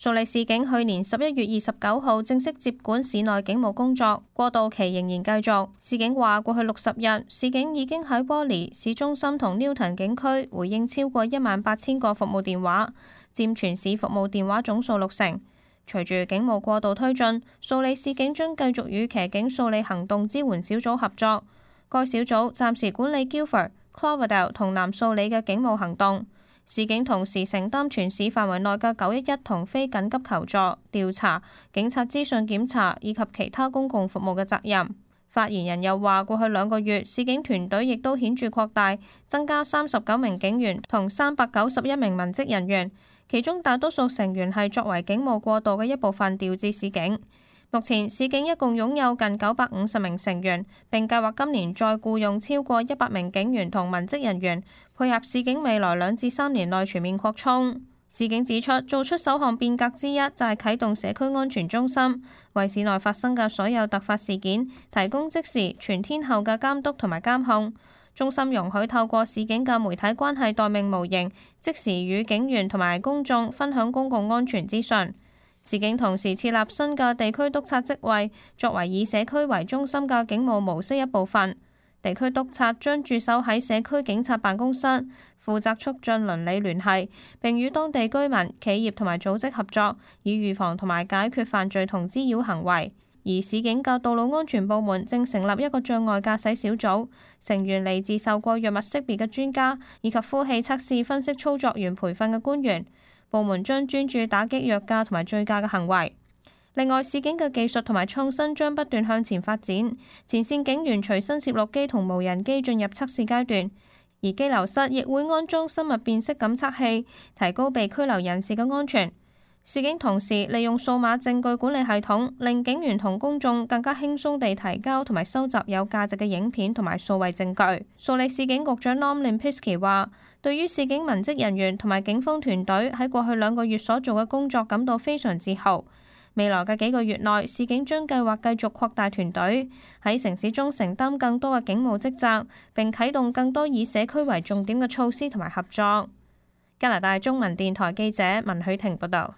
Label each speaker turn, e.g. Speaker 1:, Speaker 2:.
Speaker 1: 蘇黎市警去年11月29號正式接管市內警務工作，過渡期仍然繼續。市警話，過去60日，市警已經喺波利市中心同 Newton 警區回應超過18000個服務電話，佔全市服務電話總數60%。隨住警務過渡推進，蘇黎市警將繼續與騎警蘇黎行動支援小組合作。該小組暫時管理 Guildford、Cloverdale 同南蘇黎嘅警務行動。市警同時承擔全市範圍內嘅911同非緊急求助、調查、警察資訊檢查以及其他公共服務嘅責任。發言人又話，過去2個月，市警團隊亦都顯著擴大，增加39名警員同391名文職人員，其中大多數成員係作為警務過渡嘅一部分調至市警。目前市警一共擁有近950名成員，並計劃今年再僱用超過100名警員同文職人員，配合市警未來2至3年內全面擴充。市警指出，做出首項變革之一就係啟動社區安全中心，為市內發生嘅所有突發事件提供即時全天候嘅監督同埋監控。中心容許透過市警嘅媒體關係待命模型，即時與警員同埋公眾分享公共安全資訊。市警同時設立新嘅地區督察職位，作為以社區為中心嘅警務模式一部分。地區督察將駐守喺社區警察辦公室，負責促進鄰里聯繫，並與當地居民、企業同埋組織合作，以預防同埋解決犯罪同滋擾行為。而市警嘅道路安全部門正成立一個障礙駕駛小組，成員嚟自受過藥物識別嘅專家，以及呼氣測試分析操作員培訓嘅官員。部門將專注打擊藥駕同埋醉駕嘅行為。另外，市警嘅技術同埋創新將不斷向前發展，前線警員隨身攝錄機同無人機進入測試階段，而羈留室亦會安裝生物辨識感測器，提高被拘留人士嘅安全。市警同時利用數碼證據管理系統，令警員同公眾更加輕鬆地提交同埋收集有價值嘅影片同埋數位證據。蘇黎市警局長 Norm Lempicki 話，對於市警文職人員同埋警方團隊喺過去2個月所做嘅工作感到非常自豪。未來嘅幾個月內，市警將計劃繼續擴大團隊，喺城市中承擔更多嘅警務職責，並啟動更多以社區為重點嘅措施同埋合作。加拿大中文電台記者文許婷報道。